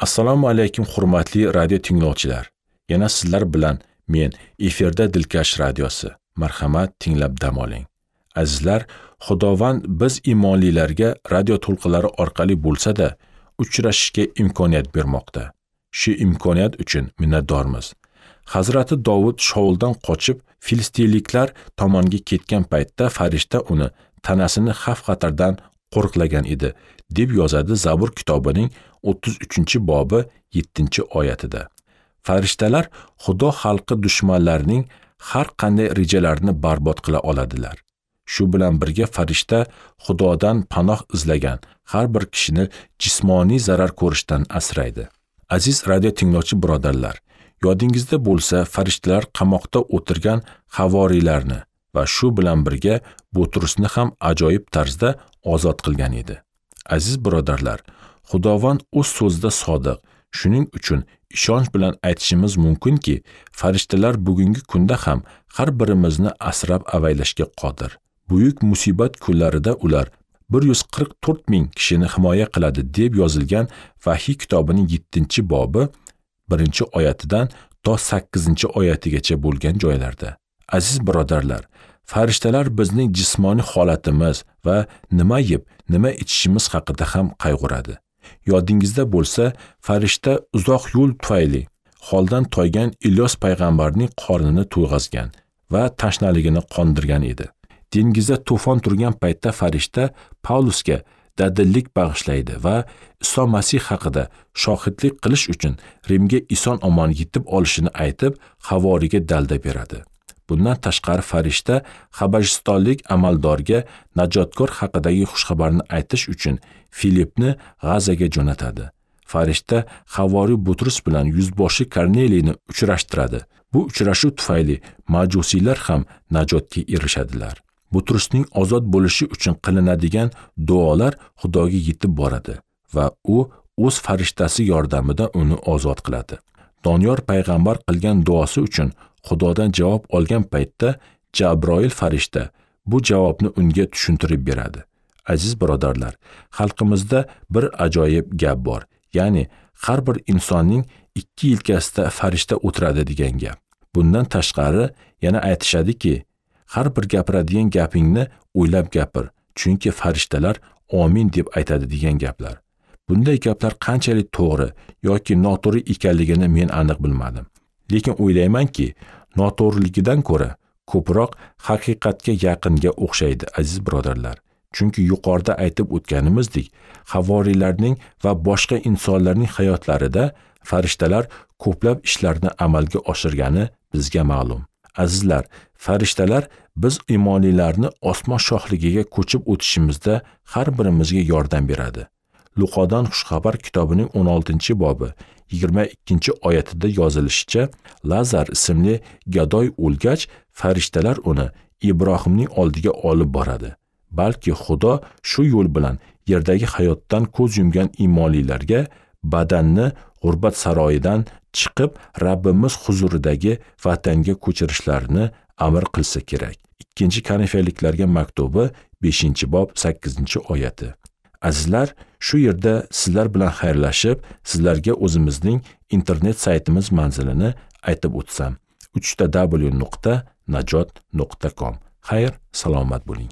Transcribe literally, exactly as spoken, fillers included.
Assalomu alaykum hurmatli radio tinglovchilar. Yana sizlar bilan men efirda Dilkash radiosi. Marhamat, tinglab dam oling. Azizlar, Xudovand biz iymonlilarga radio to'lqinlari orqali bo'lsa-da uchrashishga imkoniyat bermoqda. Shu imkoniyat uchun minnatdormiz. Hazrati Dovud Shauldan qochib filistinliklar tomonga ketgan paytda farishta uni tanasini xavf-xatardan qo'riqlagan edi, deb yozadi Zabur kitobining o'ttiz uchinchi bobi yettinchi oyatida. Farishtalar Xudo xalqi dushmanlarining har qanday rejalarini barbod qila oladilar. Shu bilan birga farishta Xudodan panoh izlagan har bir kishini jismoniy zarar ko'rishdan asraydi. Aziz radio tinglovchi birodarlar, yodingizda bo'lsa, farishtalar qamoqda o'tirgan havoriylarni va shu bilan birga Butrusni ham ajoyib tarzda ozod qilgan edi. Aziz birodarlar, Xudovand o'z so'zida sodiq. Shuning uchun ishonch bilan aytishimiz mumkinki, farishtalar bugungi kunda ham har birimizni asrab avaylashga qodir. Buyuk musibat kunlarida ular bir yuz qirq to'rt ming kishini himoya qiladi deb yozilgan Vahiy kitobining yettinchi bobi birinchi oyatidan to sakkizinchi oyatigacha bo'lgan joylarda. Aziz birodarlar, farishtalar bizning jismoniy holatimiz va nima yeb, nima ichishimiz haqida ham qayg'uradi. Yodingizda bo'lsa, farishta uzoq yo'l tufayli holdan toygan Ilyos payg'ambarning qornini to'yg'azgan va tashnaligini qondirgan edi. Dengizda to'fon turgan paytda farishta Pavlusga dadillik bag'ishlaydi va Iso Masih haqida shohidlik qilish uchun Rimga eson omon yetib olishini aytib, havoriga dalda beradi. Bundan tashqari farishta Habashistonlik amaldorga najotkor haqidagi xushxabarni aytish uchun Filipni G'azaga jo'natadi. Farishta havoriy Butrus bilan yuzboshi Korneliyni uchrashtiradi. Bu uchrashuv tufayli majusiylar ham najotga erishadilar. Butrusning ozod bo'lishi uchun qilinadigan duolar Xudoga yetib boradi va u o'z farishtasi yordamida uni ozod qiladi. Doniyor payg'ambar qilgan duosi uchun Xudodan javob olgan paytda Jabroil farishta bu javobni unga tushuntirib beradi. Aziz birodarlar, xalqimizda bir ajoyib gap bor. Ya'ni har bir insonning ikki yelkasida farishta o'tiradi degan gap. Bundan tashqari yana aytishadiki, har bir gapiradigan gapingni o'ylab gapir, chunki farishtalar amin deb aytadi degan gaplar. Bunday gaplar qanchalik to'g'ri yoki noto'g'ri ekanligini men aniq bilmadim. Lekin o'ylaymanki, noto'g'riligidan ko'ra ko'proq haqiqatga yaqinga o'xshaydi, aziz birodarlar. Chunki yuqorida aytib o'tganimizdek, havoriylarning va boshqa insonlarning hayotlarida farishtalar ko'plab ishlarni amalga oshirgani bizga ma'lum. Azizlar, farishtalar biz iymonlilarni osmon shohligiga ko'chib o'tishimizda har birimizga yordam beradi. Luqodan xushxabar kitobining o'n oltinchi bobi yigirma ikkinchi oyatida yozilishicha, Lazar ismli gadoy o'lgach, farishtalar uni Ibrohimning oldiga olib boradi. Balki Xudo shu yo'l bilan yerdagi hayotdan ko'z yumgan iymonlilarga badanni g'urbat saroyidan chiqib Rabbimiz huzuridagi vatanga ko'chirishlarini amr qilsa kerak. Ikkinchi Korinfiyliklarga maktubi beshinchi bob sakkizinchi oyati. Azizlar, shu yerda sizlar bilan xayrlashib, sizlarga o'zimizning internet saytimiz manzilini aytib o'tsam: uch ta w nuqta najot nuqta com. Xayr, salomat bo'ling.